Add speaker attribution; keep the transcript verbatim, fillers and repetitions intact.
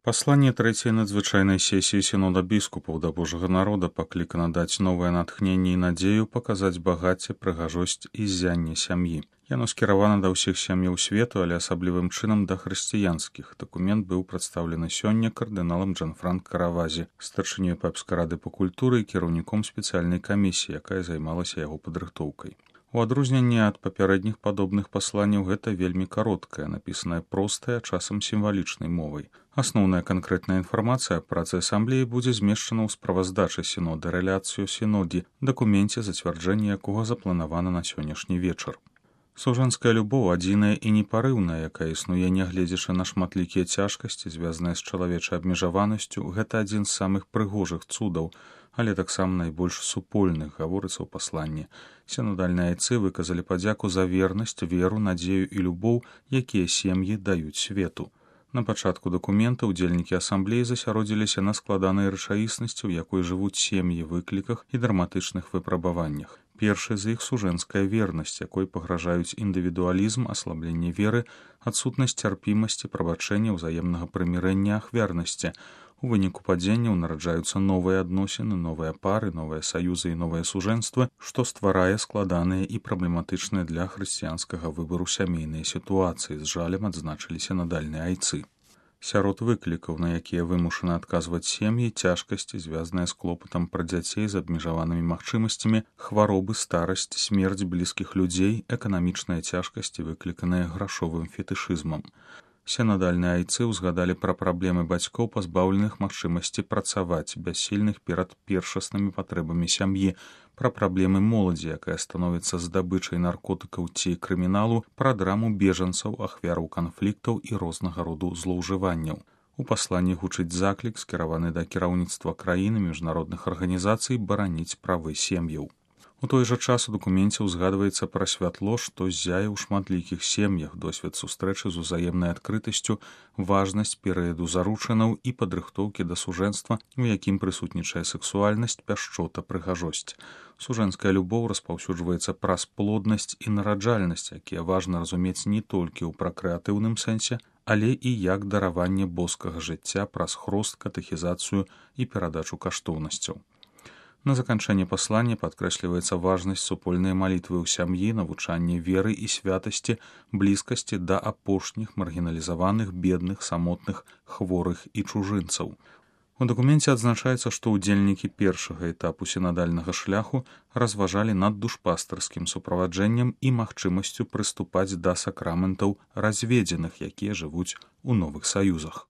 Speaker 1: Пасланне трэцяй надзвычайнай сесіі сінода біскупаў да Божага народа паклікана даць новае натхненне і надзею паказаць багацце, прыгажосць і ззянне сям'і. Яно скіравана да ўсіх сям'яў свету, але асаблівым чынам да хрысціянскіх. Дакумент быў прадстаўлены сёння кардыналам Джанфранк Каравазі, старшынёй папскай рады па культуры і кіраўніком спецыяльнай камісіі, якая займалася яго падрыхтоўкай. У адрозненні ад папярэдніх падобных пасланняў гэта вельмі кароткая, напісаная простай, а часам сімвалічнай мовай. Асноўная канкрэтная інфармацыя аб працы асамблеі будзе змешчана ў справаздачы сінода рэляцыю сінодзе, дакуменце, зацвярджэнне якога запланавана на сённяшні вечар. Сужанская любоў адзіная і непарыўная, якая існуе нягледзячы на шматлікія цяжкасці, звязаныя з чалавечай абмежаванасцю, гэта адзін з самых прыгожых цудаў, але таксама найбольш супольных, гаворыцца ў пасланні. Сінодальныя айцы выказалі падзяку за вернасць, веру, надзею і любоў, якія сем'і даюць свету. На пачатку дакумента ўдзельнікі асамблеі засяродзіліся на складанай рэчаіснасці, у якой жывуць сем'і, выкліках і драматычных выпрабаваннях. Першы з іх сужэнская вернасць, якой пагражаюць індывідуалізм, аслабленне веры, адсутнасць цярпімасці, прабачэння, ўзаемнага прымірэння, ахвярнасці. У выніку падзенняў нараджаюцца новыя адносіны, новыя пары, новыя саюзы і новыя сужэнствы, што стварае складаныя і праблематычныя для хрысціянскага выбару сямейныя сітуацыі, з жалем адзначылі сінадальныя айцы. Сярод выклікаў, на якія вымушаны адказваць сем'і, цяжкасці, звязаныя з клопатам пра дзяцей з абмежаванымі магчымасцямі, хваробы, старасць, смерць блізкіх людзей, эканамічныя цяжкасці, выкліканыя грашовым фетышызмам. Сінадальныя айцы ўзгадалі пра праблемы бацькоў, пазбаўленых магчымасці працаваць, бяссільных перад першаснымі патрэбамі сям'і, пра праблемы моладзі, якая становіцца здабычай наркотыкаў ці крыміналу, пра драму бежанцаў, ахвяраў канфліктаў і рознага роду злоўжыванняў. У пасланні гучыць заклік, скіраваны да кіраўніцтва краіны, міжнародных арганізацый бараніць правы сем'яў. У той жа час у дакуменце ўзгадваецца пра святло, што ззяе ў шматлікіх сем'ях, досвед сустрэчы з узаемнай адкрытасцю, важнасць перыяду заручынаў і падрыхтоўкі да сужэнства, у якім прысутнічае сексуальнасць, пяшчота, прыгажосць. Сужэнская любоў распаўсюджваецца праз плоднасць і нараджальнасць, якія важна разумець не толькі ў пракрэатыўным сэнсе, але і як дараванне боскага жыцця праз хрост, катэхізацыю і перадачу каштоўнасцяў. На заканчэнне паслання падкрэсліваецца важнасць супольнай малітвы ў сям'і, навучанне веры і святасці, блізкасці да апошніх, маргіналізаваных, бедных, самотных, хворых і чужынцаў. У дакуменце адзначаецца, што ўдзельнікі першага этапу сінадальнага шляху разважалі над душпастарскім суправаджэннем і магчымасцю прыступаць да сакраментаў разведзеных, якія жывуць у новых саюзах.